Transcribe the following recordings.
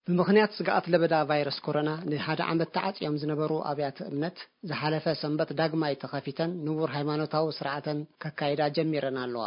ብምኽንያት ስግኣት ለበዳ ቫይረስ ኮሮና ንሓደ ዓመት ተዓጽዮም ዝነበሩ ኣብያተ እምነት ዝሓለፈ ሰንበት ዳግማይ ተኸፊተን ንቡር ሃይማኖታዊ ስርዓተን ከካይዳ ጀሚረን ኣለዋ።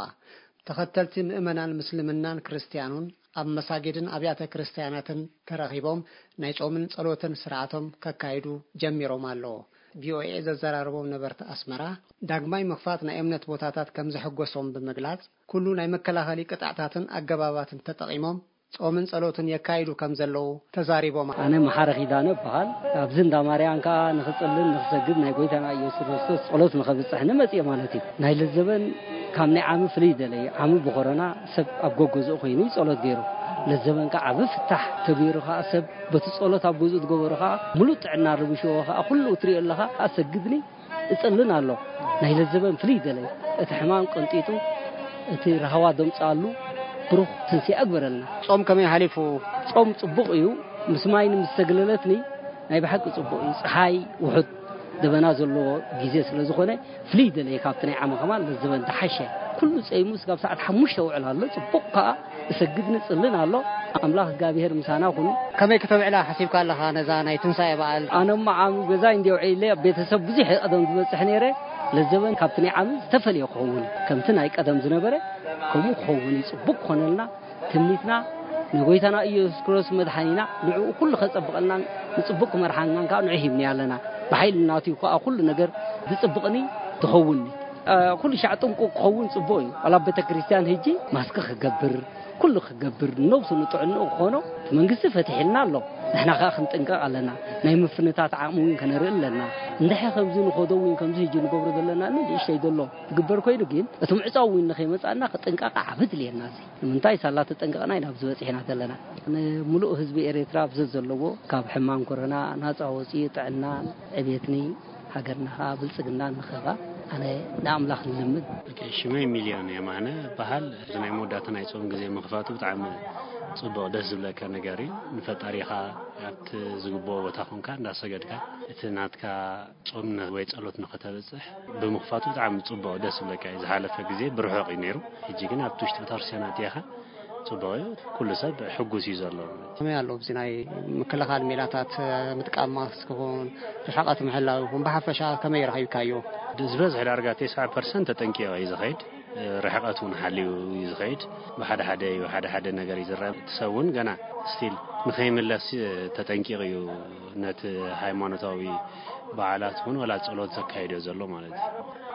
ተኸተልቲ ምእመናን ምስልምናን ክርስትያኑን ኣብ መሳጊድን ኣብያተ ክርስትያናትን ተረኺቦም ናይ ጾምን ጸሎትን ስርዓቶም ከካይዱ ጀሚሮም ኣለዉ። ቪኦኤ ዘዘራረቦም ነበርቲ ኣስመራ ዳግማይ ምኽፋት ናይ እምነት ቦታታት ከም ዘሐጎሶም ብምግላጽ፣ ኩሉ ናይ መከላኸሊ ቅጥዕታትን ኣገባባትን ተጠቒሞም ጾምን ጸሎትን የካይዱ ከም ዘለዉ ተዛሪቦም። ኣነ መሓረ ኪዳነ እበሃል። ኣብዚ እንዳ ማርያም ከኣ ንኽጽልን ንኽሰግድ ናይ ጎይታና ኢየሱስ ክርስቶስ ጸሎት ንኸብጽሕ ንመጽእ ማለት እዩ። ናይ ለዘበን ካብ ናይ ዓሚ ፍልይ ደለይ። ዓሚ ብኮሮና ሰብ ኣብ ጎገዝኡ ኮይኑ እዩ ጸሎት ገይሩ። ለዘበን ከኣ ዓቢ ፍታሕ ተገይሩ ከኣ ሰብ በቲ ጸሎት ኣብ ገዝኡ ዝገበሩ ከኣ ምሉእ ጥዕና ርብሽዎ ከኣ ኩሉ እትሪኦ ኣለኻ ኣሰግድኒ እጽልን ኣሎ። ናይ ለዘበን ፍልይ ደለይ። እቲ ሕማም ቀንጢጡ፣ እቲ ራህዋ ደምጽኣሉ ብሩኽ ትንሲኣ እግበረልና። ጾም ከመይ ሓሊፉ? ጾም ጽቡቕ እዩ። ምስ ማይ ንምስተግለለትኒ ናይ ብሓቂ ጽቡቕ እዩ። ጸሓይ ውሑድ ደበና ዘለዎ ግዜ ስለ ዝኾነ ፍልይ ደለየ ካብቲ ናይ ዓመ ከማን ለዘበን ተሓሸ። ኩሉ ጸይሙ ስጋብ ሰዓት ሓሙሽተ ውዕል ኣሎ። ጽቡቕ ከኣ እሰግድ ንጽልን ኣሎ። ኣምላኽ እግዚኣብሔር ምሳና ኩኑ። ከመይ ክተውዕላ ሓሲብካ ኣለኻ ነዛ ናይ ትንሳኤ በዓል? ኣነ እሞ ዓሚ ገዛይ እንዲ ውዒለ ኣብ ቤተሰብ ብዙሕ ቀደም ዝበጽሕ ነይረ። ለዘበን ካብቲ ናይ ዓሚ ዝተፈልየ ክኸውን ከምቲ ናይ ቀደም ዝነበረ ከምኡ ክኸውን እዩ። ጽቡቕ ክኾነልና ትምኒትና ንጎይታና ኢየሱስ ክርስቶስ መድሓኒና ንዕኡ ኩሉ ከጸብቐልናን ንጽቡቕ ክመርሓናን ከኣ ንዑ ሂብኒ ኣለና። ብሓይሊ ናቱ ከኣ ኩሉ ነገር ዝጽብቕኒ ትኸውንኒ። እ፣ ኩሉ ሻዕ ጥንቁቕ ክኸውን ጽቡቕ እዩ። ዋላ ኣብ ቤተ ክርስቲያን ሂጂ ማስክ ክገብር፣ ኩሉ ክገብር፣ ነብሱ ንጥዕንኡ ክኾኖ እቲ መንግስቲ ፈቲሕልና ኣሎ። ንሕና ከኣ ክንጥንቀቕ ኣለና። ናይ ምፍንታት ዓቕሚ እውን ከነርኢ ኣለና። እንድሕር ከምዚ ንኸዶ እውን ከምዚ ሂጂ ንገብሮ ዘለና ንእሽተይ ዘሎ ትግበር ኮይኑ ግን እቲ ምዕጻው እውን ንኸይመጻና ክጥንቀቕ ዓቢ ድልየና እዚ። ንምንታይ ሳላ ተጠንቀቕና ኢና ኣብዚ በጺሕና ዘለና። ንምሉእ ህዝቢ ኤርትራ ኣብ ዘዘለዎ ካብ ሕማም ኮሮና ናጻ ወጺኡ ጥዕናን ዕቤትኒ ሃገርና ኸኣ ብልጽግና ንኸባ ኣነ ንኣምላኽ ንልምን። ኦኬ፣ ሽመይ ሚልዮን የማነ በሃል። እዚ ናይ መወዳእታ ናይ ጾም ግዜ ምኽፋቱ ብጣዕሚ ጽቡቕ ደስ ዝብለካ ነገር እዩ። ንፈጣሪኻ ኣብቲ ዝግብኦ ቦታ ኮንካ እንዳሰገድካ እቲ ናትካ ጾም ን-፣ ወይ ጸሎት ንኸተብጽሕ ብምኽፋቱ ብጣዕሚ ጽቡቕ ደስ ዝብለካ እዩ። ዝሓለፈ ግዜ ብርሑቕ እዩ ነይሩ። ሕጂ ግን ኣብቲ ውሽጢ ቤተክርስትያን ኣትየኻ ጽቡቕ እዩ። ኩሉ ሰብ ሕጉስ እዩ ዘሎ። ከመይ ኣሎ ኣብዚ ናይ ምክልኻል ሜላታት ምጥቃም ማስክ ይኹን ርሕቐት ምሕላው ይኹን ብሓፈሻ ከመይ ረኺብካዮ? ዝበዝሕ ዳርጋ ተስዓ ፐርሰንት ተጠንቂቑ እዩ ዝኸይድ። ርሕቐት እውን ሓልዩ እዩ ዝኸይድ። ብሓደ ሓደ እዩ፣ ሓደ ሓደ ነገር እዩ ዝረአ። እቲ ሰብ እውን ገና ስቲል ንኸይምለስ ተጠንቂቑ እዩ ነቲ ሃይማኖታዊ በዓላት እውን ወላ ጸሎት ዘካይዶ ዘሎ ማለት እዩ።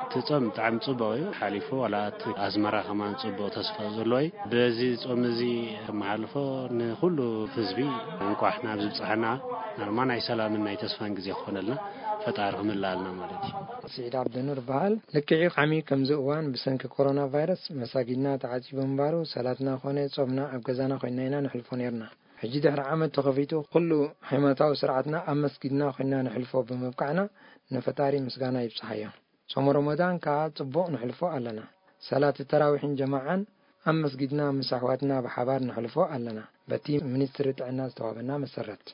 እቲ ጾም ብጣዕሚ ጽቡቕ እዩ ሓሊፉ፣ ዋላ እቲ ኣዝመራ ከማን ጽቡቕ ተስፋ ዘለዎ እዩ። በዚ ጾም እዚ ከመሓልፎ ንኹሉ ህዝቢ እንቋዕ ናብ ዝብጽሓና ናርማ ናይ ሰላምን ናይ ተስፋን ግዜ ክኾነልና ፈጣሪ ክምልኣልና ማለት እዩ። ስዒድ ዓብደኑር በሃል። ልክዕ እዩ፣ ዓሚ ከምዚ እዋን ብሰንኪ ኮሮና ቫይረስ መሳጊድና ተዓጺቡ ምንባሩ ሰላትና ኾነ ጾምና ኣብ ገዛና ኮይንና ኢና ነሕልፎ ነይርና። ሕጂ ድሕሪ ዓመት ተኸፊቱ ኩሉ ሃይማኖታዊ ስርዓትና ኣብ መስጊድና ኮይንና ነሕልፎ ብምብቃዕና ንፈጣሪ ምስጋና ይብጽሓዮ። ጾም ረመዳን ከኣ ጽቡቕ ነሕልፎ ኣለና። ሰላት ተራዊሕን ጀማዓን ኣብ መስጊድና ምስ ኣሕዋትና ብሓባር ነሕልፎ ኣለና። በቲ ሚኒስትሪ ጥዕና ዝተዋህበና መሰረት።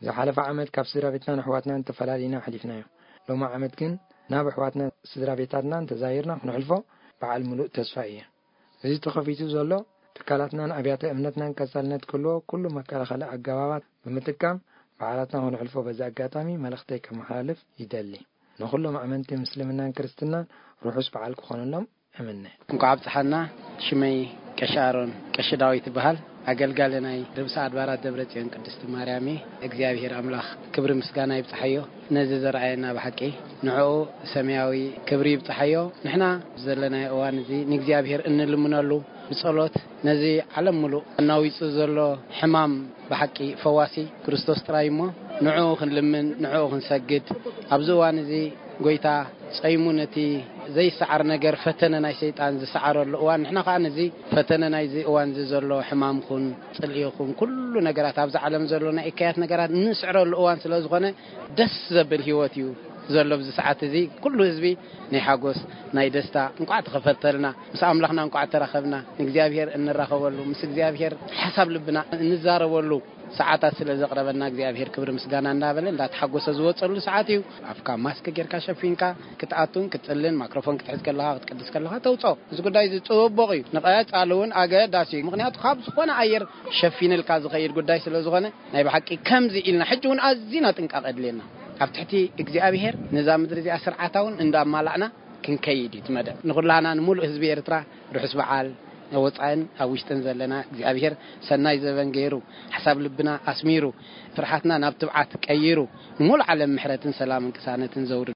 ዝሓለፈ ዓመት ካብ ስድራ ቤትናን ኣሕዋትናን ተፈላሊና ኣሕሊፍናዮ። ሎሚ ዓመት ግን ናብ ኣሕዋትና ስድራ ቤታትናን ተዛይርና ክነሕልፎ በዓል ምሉእ ተስፋ እየ። እዚ ተኸፊቱ ዘሎ ትካላትናን ኣብያተ እምነትናን ቀጻልነት ክህልዎ ኩሉ መከላኸሊ ኣገባባት ብምጥቃም በዓላትና ክነሕልፎ በዚ ኣጋጣሚ መልእኽተይ ከመሓላልፍ ይደሊ። ንኹሎም ኣመንቲ ምስልምናን ክርስትናን ርሑስ በዓል ክኾነሎም እምነ። እንኳዕ ኣብጽሓና። ሽመይ ቀሺ ኣሮን ቀሺ ዳዊት ይበሃል። ኣገልጋሊ ናይ ርእሰ ኣድባራት ደብረ ጽዮን ቅድስቲ ማርያም እየ። እግዚኣብሔር ኣምላኽ ክብሪ ምስጋና ይብጽሓዮ። ነዚ ዘርኣየና ብሓቂ ንዕኡ ሰማያዊ ክብሪ ይብጽሓዮ። ንሕና ዘለናዮ እዋን እዚ ንእግዚኣብሔር እንልምነሉ ብጸሎት ነዚ ዓለም ምሉእ ኣናዊጹ ዘሎ ሕማም ብሓቂ ፈዋሲ ክርስቶስ ጥራይ እሞ ንዕኡ ክንልምን ንዕኡ ክንሰግድ ኣብዚ እዋን እዚ ጎይታ ጸይሙ ነቲ ዘይሰዓር ነገር ፈተነ ናይ ሰይጣን ዝሰዓረሉ እዋን ንሕና ከኣ ነዚ ፈተነ ናይዚ እዋን እዚ ዘሎ ሕማም ኩን ጽልኢ ይኹን ኩሉ ነገራት ኣብዚ ዓለም ዘሎ ናይ እከያት ነገራት እንስዕረሉ እዋን ስለ ዝኾነ ደስ ዘብል ህይወት እዩ ዘሎ ኣብዚ ሰዓት እዚ። ኩሉ ህዝቢ ናይ ሓጎስ ናይ ደስታ እንቋዕ ተኸፈተልና፣ ምስ ኣምላኽና እንቋዕ ተራኸብና፣ ንእግዚኣብሔር እንራኸበሉ፣ ምስ እግዚኣብሔር ሓሳብ ልብና እንዛረበሉ ሰዓታት ስለ ዘቕረበና እግዚኣብሔር ክብሪ ምስጋና እንዳበለ እንዳተሓጎሰ ዝወፀሉ ሰዓት እዩ። ኣፍካ ማስክ ጌርካ ሸፊንካ ክትኣቱን ክትፅልን ማክሮፎን ክትሕዝ ከለኻ ክትቅድስ ከለኻ ተውፅኦ። እዚ ጉዳይ እዚ ፅቡቕ እዩ፣ ንቐፃሊ እውን ኣገዳሲ እዩ። ምክንያቱ ካብ ዝኾነ ኣየር ሸፊንልካ ዝኸይድ ጉዳይ ስለ ዝኾነ ናይ ብሓቂ ከምዚ ኢልና ሕጂ እውን ኣዝና ጥንቃቐ የድልየና። ኣብ ትሕቲ እግዚኣብሔር ነዛ ምድሪ እዚኣ ስርዓታ እውን እንዳማላእና ክንከይድ እዩ እቲ መደብ። ንኹላና ንምሉእ ህዝቢ ኤርትራ ርሑስ በዓል። ኣብ ወጻእን ኣብ ውሽጥን ዘለና እግዚኣብሔር ሰናይ ዘበን ገይሩ ሓሳብ ልብና ኣስሚሩ ፍርሓትና ናብ ትብዓት ቀይሩ ንሙሉእ ዓለም ምሕረትን ሰላምን ቅሳነትን ዘውርድ።